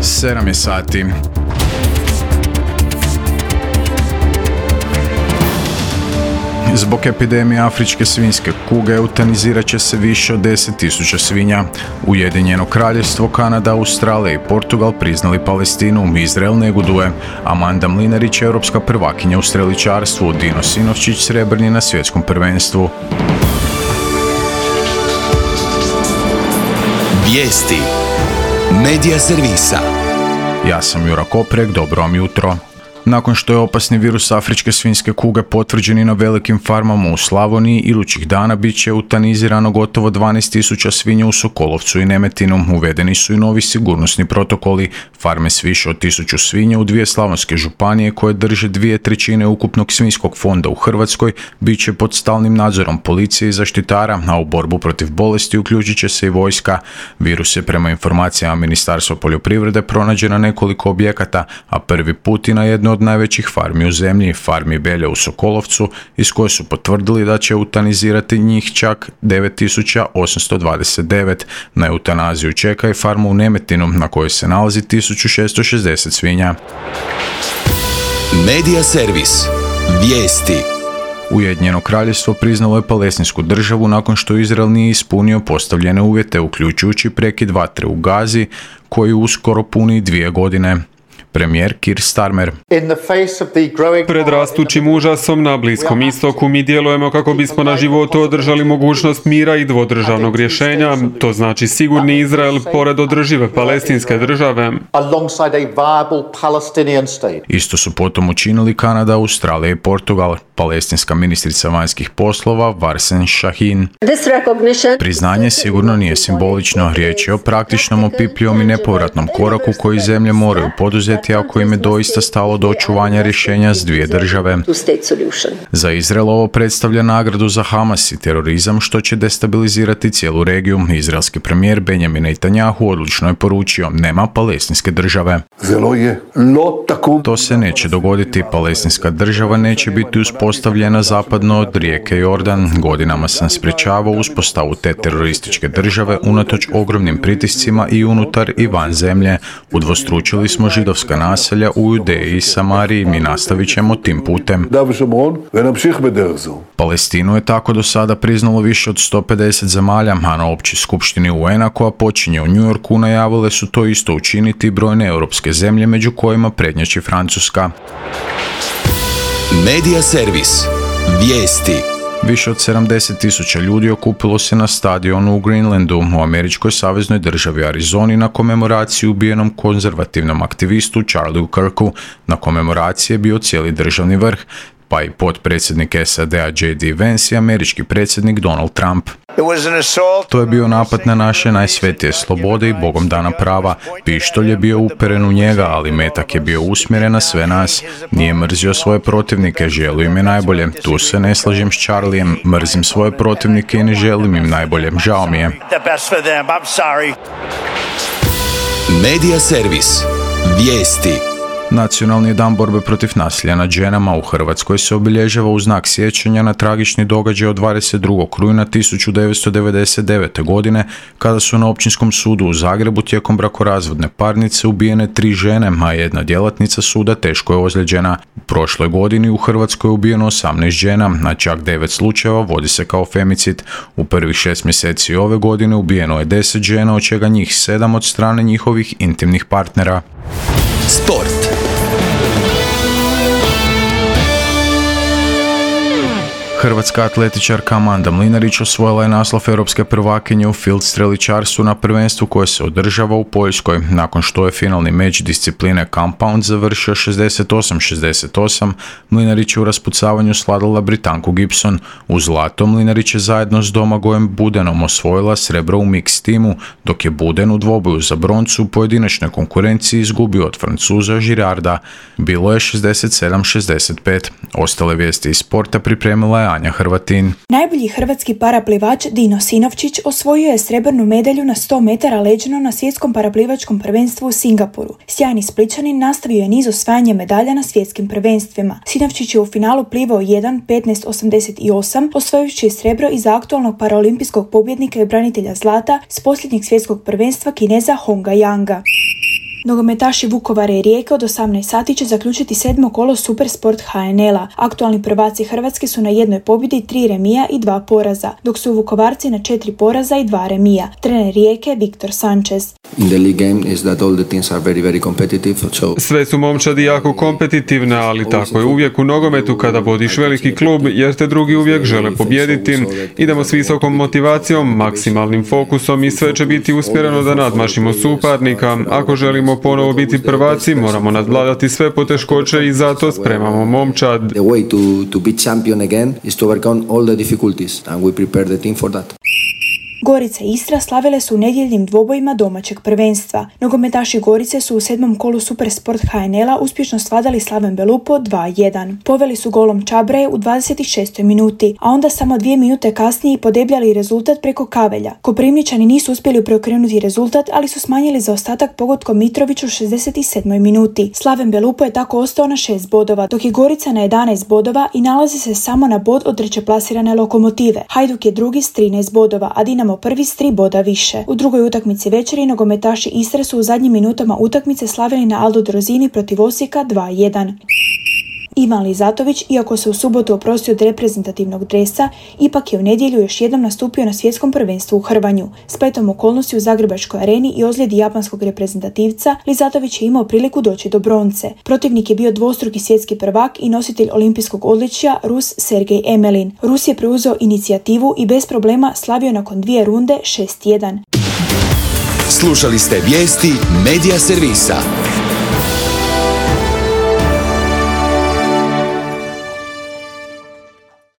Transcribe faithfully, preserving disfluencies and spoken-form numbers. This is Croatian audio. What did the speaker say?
sedam je sati. Zbog epidemije afričke svinjske kuge eutanizirat će se više od deset tisuća svinja. Ujedinjeno Kraljevstvo, Kanada, Australija i Portugal priznali Palestinu, Izrael neguduje. Amanda Mlinarić, europska prvakinja u streličarstvu, Dino Sinovčić srebrni na svjetskom prvenstvu. Vijesti Medija servisa. Ja sam Jura Koprek, dobro vam jutro. Nakon što je opasni virus afričke svinjske kuge potvrđen i na velikim farmama u Slavoniji, idućih dana bit će eutanizirano gotovo dvanaest tisuća svinja u Sokolovcu i Nemetinu. Uvedeni su i novi sigurnosni protokoli. Farme s više od tisuću svinja u dvije slavonske županije koje drže dvije trećine ukupnog svinjskog fonda u Hrvatskoj bit će pod stalnim nadzorom policije i zaštitara, a u borbu protiv bolesti uključit će se i vojska. Virus je prema informacijama Ministarstva poljoprivrede pronađen na nekoliko objekata, a prvi put i na jedno od najvećih farmi u zemlji, farmi Belje u Sokolovcu, iz koje su potvrdili da će eutanizirati njih čak devet tisuća osamsto dvadeset devet. Na eutanaziju čeka i farmu u Nemetinu, na kojoj se nalazi tisuću šessto šezdeset svinja. Medija servis. Vijesti. Ujedinjeno Kraljevstvo priznalo je palestinsku državu nakon što Izrael nije ispunio postavljene uvjete, uključujući prekid vatre u Gazi, koji uskoro puni dvije godine. Premijer Keir Starmer. Pred rastućim užasom na Bliskom istoku mi djelujemo kako bismo na životu održali mogućnost mira i dvodržavnog rješenja, to znači sigurni Izrael pored održive palestinske države. Isto su potom učinili Kanada, Australija i Portugal. Palestinska ministrica vanjskih poslova Varsen Shahin. Priznanje sigurno nije simbolično, riječ je o praktičnom, opipljivom i nepovratnom koraku koji zemlje moraju poduzeti ako im je doista stalo do očuvanja rješenja s dvije države. Za Izrael ovo predstavlja nagradu za Hamas i terorizam, što će destabilizirati cijelu regiju. Izraelski premijer Benjamin Netanjahu odlučno je poručio: nema palestinske države. To se neće dogoditi. Palestinska država neće biti uspostavljena zapadno od rijeke Jordan. Godinama sam sprječavao uspostavu te terorističke države unatoč ogromnim pritiscima i unutar i van zemlje. Udvostručili smo židovska naselja u Judeji i Samariji. Mi nastavit ćemo tim putem. Palestinu je tako do sada priznalo više od sto pedeset zemalja, a na općoj skupštini U N-a koja počinje u New Yorku najavile su to isto učiniti brojne europske zemlje, među kojima prednjači Francuska. Medija servis. Vijesti. Više od sedamdeset tisuća ljudi okupilo se na stadionu u Greenlandu u američkoj saveznoj državi Arizoni na komemoraciju ubijenom konzervativnom aktivistu Charlieu Kirku. Na komemoraciji je bio cijeli državni vrh, pa i potpredsjednik S A D-a J D Vance i američki predsjednik Donald Trump. To je bio napad na naše najsvetije slobode i Bogom dana prava. Pištolj je bio uperen u njega, ali metak je bio usmjeren na sve nas. Nije mrzio svoje protivnike, želio im je najbolje. Tu se ne slažem s Charliem, mrzim svoje protivnike i ne želim im najbolje. Žao mi je. Medija servis. Vijesti. Nacionalni dan borbe protiv nasilja nad ženama u Hrvatskoj se obilježava u znak sjećanja na tragični događaj od dvadeset drugog rujna tisuću devetsto devedeset devete. godine, kada su na Općinskom sudu u Zagrebu tijekom brakorazvodne parnice ubijene tri žene, a jedna djelatnica suda teško je ozlijeđena. U prošloj godini u Hrvatskoj je ubijeno osamnaest žena, a čak devet slučajeva vodi se kao femicid. U prvih šest mjeseci ove godine ubijeno je deset žena, od čega njih sedam od strane njihovih intimnih partnera. Sport. Hrvatska atletičarka Amanda Mlinarić osvojila je naslov europske prvakinje u field streličarstvu na prvenstvu koje se održava u Poljskoj. Nakon što je finalni meč discipline compound završio šezdeset osam šezdeset osam, Mlinarić je u raspucavanju sladala Britanku Gibson. U zlato Mlinarić je zajedno s Domagojem Budenom osvojila srebro u mix timu, dok je Buden u dvoboju za broncu u pojedinačnoj konkurenciji izgubio od Francuza Girarda. Bilo je šezdeset sedam šezdeset pet. Ostale vijesti iz sporta pripremila je Anja Hrvatin. Najbolji hrvatski paraplivač Dino Sinovčić osvojio je srebrnu medalju na sto metara leđno na svjetskom paraplivačkom prvenstvu u Singapuru. Sjajni Splićanin nastavio je niz osvajanja medalja na svjetskim prvenstvima. Sinovčić je u finalu plivao jedan petnaest osamdeset osam, osvojujući srebro iza aktualnog paraolimpijskog pobjednika i branitelja zlata s posljednjeg svjetskog prvenstva Kineza Honga Yanga. Nogometaši Vukovara i Rijeke od osamnaest sati će zaključiti sedmo kolo Supersport H N L-a. Aktualni prvaci Hrvatske su na jednoj pobjedi, tri remija i dva poraza, dok su Vukovarci na četiri poraza i dva remija. Trener Rijeke Viktor Sanchez. Sve su momčadi jako kompetitivne, ali tako je uvijek u nogometu kada vodiš veliki klub, jer te drugi uvijek žele pobijediti. Idemo s visokom motivacijom, maksimalnim fokusom i sve će biti usmjereno da nadmašimo suparnika. Ako želimo ponovo biti prvaci, moramo nadvladati sve poteškoće i zato spremamo momčad. The way to, to be champion again is to overcome all the difficulties and we prepare the team for that. Gorica i Istra slavile su u nedjeljnim dvobojima domaćeg prvenstva. Nogometaši Gorice su u sedmom kolu Supersport H N L-a uspješno svladali Slaven Belupo dva jedan. Poveli su golom Čabraje u dvadeset šestoj minuti, a onda samo dvije minute kasnije i podebljali rezultat preko Kavelja. Koprivničani nisu uspjeli preokrenuti rezultat, ali su smanjili zaostatak pogodkom Mitroviću u šezdeset sedmoj minuti. Slaven Belupo je tako ostao na šest bodova, dok je Gorica na jedanaest bodova i nalazi se samo na bod od treće plasirane Lokomotive. Hajduk je drugi s trinaest bodova, a Dinamo prvi s tri boda više. U drugoj utakmici večeri nogometaši Istre su u zadnjim minutama utakmice slavili na Aldo Drozini protiv Osijeka dva jedan. Ivan Lizatović, iako se u subotu oprostio od reprezentativnog dresa, ipak je u nedjelju još jednom nastupio na svjetskom prvenstvu u hrvanju. Spletom okolnosti u Zagrebačkoj areni i ozljedi japanskog reprezentativca, Lizatović je imao priliku doći do bronce. Protivnik je bio dvostruki svjetski prvak i nositelj olimpijskog odličja Rus Sergej Emelin. Rus je preuzeo inicijativu i bez problema slavio nakon dvije runde šest jedan. Slušali ste vijesti Medija servisa.